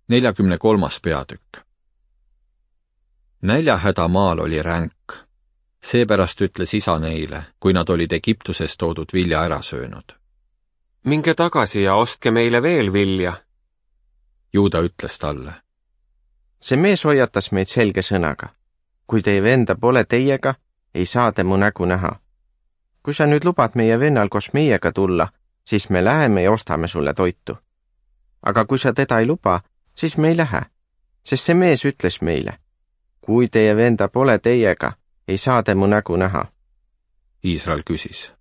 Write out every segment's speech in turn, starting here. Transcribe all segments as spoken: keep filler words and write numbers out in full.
neljakümne kolmas peatükk. Näljahäda maal oli ränk. Seepärast ütles isa neile, kui nad olid Egiptusest toodud vilja ära söönud. Minge tagasi ja ostke meile veel vilja. Juuda ütles talle. See mees hoiatas meid selge sõnaga. Kui teie venda pole teiega, ei saa te mu nägu näha. Kui sa nüüd lubad meie vennal koos meiega tulla, siis me läheme ja ostame sulle toitu. Aga kui sa teda ei luba, siis me ei lähe, sest see mees ütles meile. Kui teie venda pole teiega, ei saa te mu nägu näha. Iisrael küsis.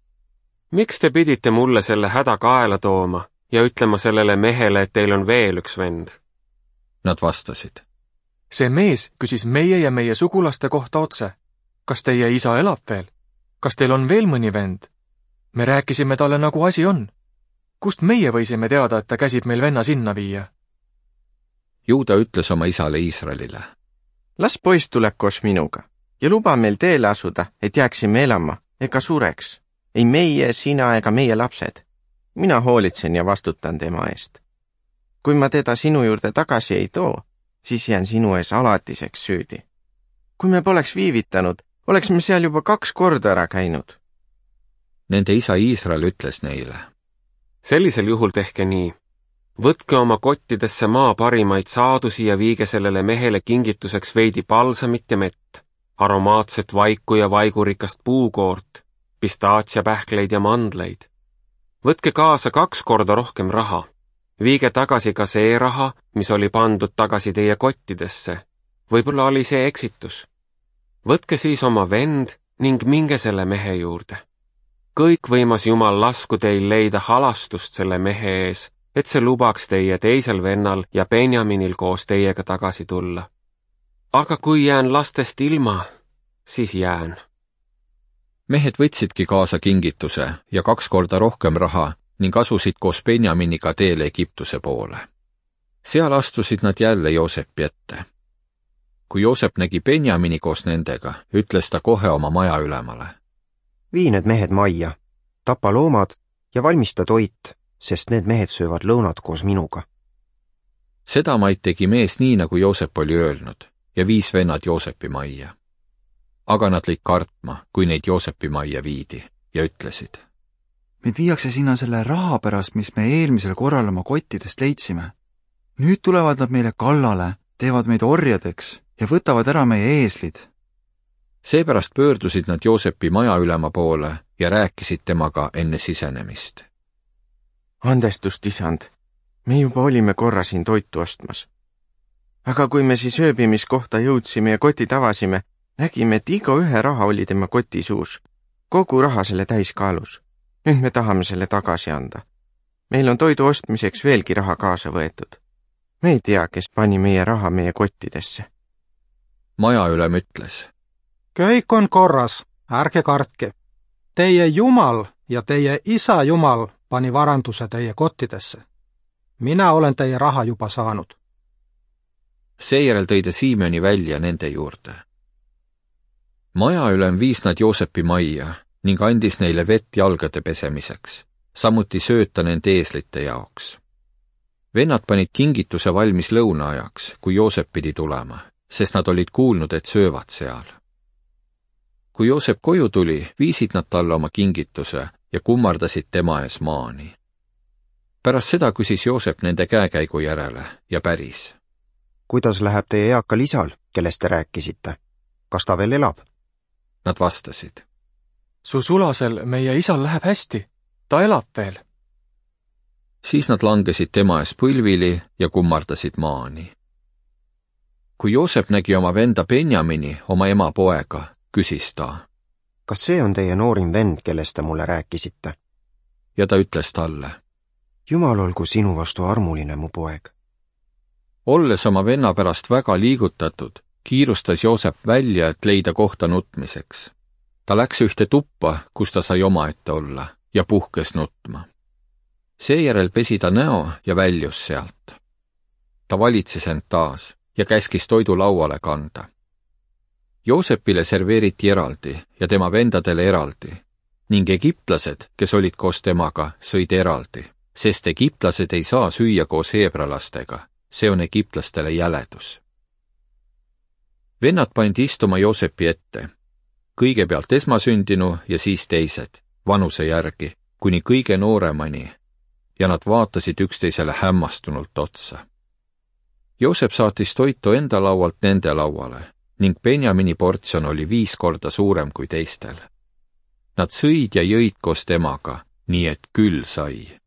Miks te pidite mulle selle häda kaela tooma ja ütlema sellele mehele, et teil on veel üks vend? Nad vastasid. See mees küsis meie ja meie sugulaste kohta otse. Kas teie isa elab veel? Kas teil on veel mõni vend? Me rääkisime talle, nagu asi on. Kust meie võisime teada, et ta käsib meil venna sinna viia? Juuda ütles oma isale Iisraelile. Las poiss tuleb koos minuga ja luba meil teele asuda, et jääksime elama ega sureks. Ei meie, sina ega meie lapsed. Mina hoolitsen ja vastutan tema eest. Kui ma teda sinu juurde tagasi ei too, siis jään sinu ees alatiseks süüdi. Kui me poleks viivitanud, oleks me seal juba kaks korda ära käinud. Nende isa Iisrael ütles neile. Sellisel juhul tehke nii. Võtke oma kottidesse maa parimaid saadusi ja viige sellele mehele kingituseks veidi palsamit ja mett, aromaatset vaiku ja vaigurikast puukoort, pistaatsiapähkleid ja mandleid. Võtke kaasa kaks korda rohkem raha. Viige tagasi ka see raha, mis oli pandud tagasi teie kottidesse. Võib-olla oli see eksitus. Võtke siis oma vend ning minge selle mehe juurde. Kõikvõimas Jumal lasku teil leida halastust selle mehe ees, et see lubaks teie teisel vennal ja Benjaminil koos teiega tagasi tulla. Aga kui jään lastest ilma, siis jään. Mehed võtsidki kaasa kingituse ja kaks korda rohkem raha ning asusid koos Benjaminiga teele Egiptuse poole. Seal astusid nad jälle Joosepi ette. Kui Joosep nägi Benjamini koos nendega, ütles ta kohe oma maja ülemale. Vii need mehed majja, tapa loomad ja valmista toit, sest need mehed söövad lõunat koos minuga. Seda maid tegi mees nii, nagu Joosep oli öelnud, ja viis vennad Joosepi majja. Aga nad lõid kartma, kui neid Joosepi majja viidi, ja ütlesid. Meid viiakse sinna selle raha pärast, mis me eelmisel korral oma kottidest leidsime. Nüüd tulevad nad meile kallale, teevad meid orjadeks ja võtavad ära meie eeslid. Seepärast pöördusid nad Joosepi maja ülema poole ja rääkisid temaga enne sisenemist. Andestust, isand, me juba olime korra siin toitu ostmas. Aga kui me siis ööbimiskohta jõudsime ja kotid avasime, nägime, et iga ühe raha oli tema koti suus. Kogu raha selle täiskaalus. Nüüd me tahame selle tagasi anda. Meil on toidu ostmiseks veelgi raha kaasa võetud. Me ei tea, kes pani meie raha meie kottidesse. Maja ülem ütles. Kõik on korras, ärge kartke. Teie Jumal ja teie isa Jumal pani varanduse teie kottidesse. Mina olen teie raha juba saanud. Seejärel tõi ta Siimeni välja nende juurde. Maja ülem viis nad Joosepi majja ning andis neile vett jalgade pesemiseks, samuti sööta nende eeslite jaoks. Vennad panid kingituse valmis lõunaajaks, kui Joosep pidi tulema, sest nad olid kuulnud, et söövad seal. Kui Joosep koju tuli, viisid nad talle oma kingituse ja kummardasid tema ees maani. Pärast seda küsis Joosep nende käekäigu järele ja päris. Kuidas läheb teie eakal isal, kellest te rääkisite? Kas ta veel elab? Nad vastasid. Su sulasel meie isal läheb hästi, ta elab veel. Siis nad langesid tema ees põlvili ja kummardasid maani. Kui Joosep nägi oma venda Benjamini, oma ema poega, küsis ta. Kas see on teie noorim vend, kellest te mulle rääkisite? Ja ta ütles talle. Jumal olgu sinu vastu armuline, mu poeg. Olles oma venna pärast väga liigutatud, kiirustas Joosep välja, et leida kohta nutmiseks. Ta läks ühte tuppa, kus ta sai omaette olla, ja puhkes nutma. Seejärel pesi ta näo ja väljus sealt. Ta valitses end taas ja käskis toidu lauale kanda. Joosepile serveeriti eraldi ja tema vendadele eraldi, ning egiptlased, kes olid koos temaga, sõid eraldi, sest egiptlased ei saa süüa koos heebralastega see on egiptlastele jäledus. Vennad pandi istuma Joosepi ette, kõigepealt esmasündinu ja siis teised, vanuse järgi, kuni kõige nooremani, ja nad vaatasid üksteisele hämmastunult otsa. Joosep saatis toitu enda laualt nende lauale ning Benjamini portsjon oli viis korda suurem kui teistel. Nad sõid ja jõid koos temaga, nii et küll sai.